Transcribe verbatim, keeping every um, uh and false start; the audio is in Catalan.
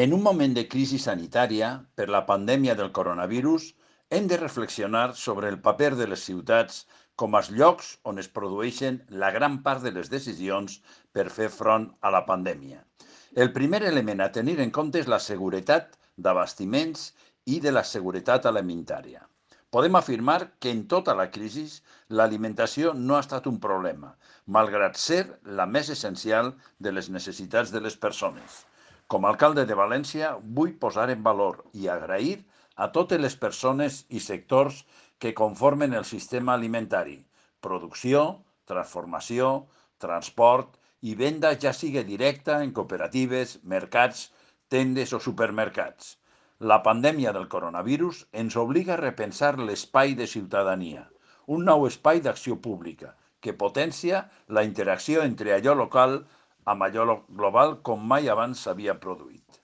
En un moment de crisi sanitària, per la pandèmia del coronavirus, hem de reflexionar sobre el paper de les ciutats com els llocs on es produeixen la gran part de les decisions per fer front a la pandèmia. El primer element a tenir en compte és la seguretat d'abastiments i de la seguretat alimentària. Podem afirmar que en tota la crisi l'alimentació no ha estat un problema, malgrat ser la més essencial de les necessitats de les persones. Com a alcalde de València, vull posar en valor i agrair a totes les persones i sectors que conformen el sistema alimentari: producció, transformació, transport i venda, ja sigui directa en cooperatives, mercats, tendes o supermercats. La pandèmia del coronavirus ens obliga a repensar l'espai de ciutadania, un nou espai d'acció pública que potencia la interacció entre allò local amb allò global com mai abans s'havia produït.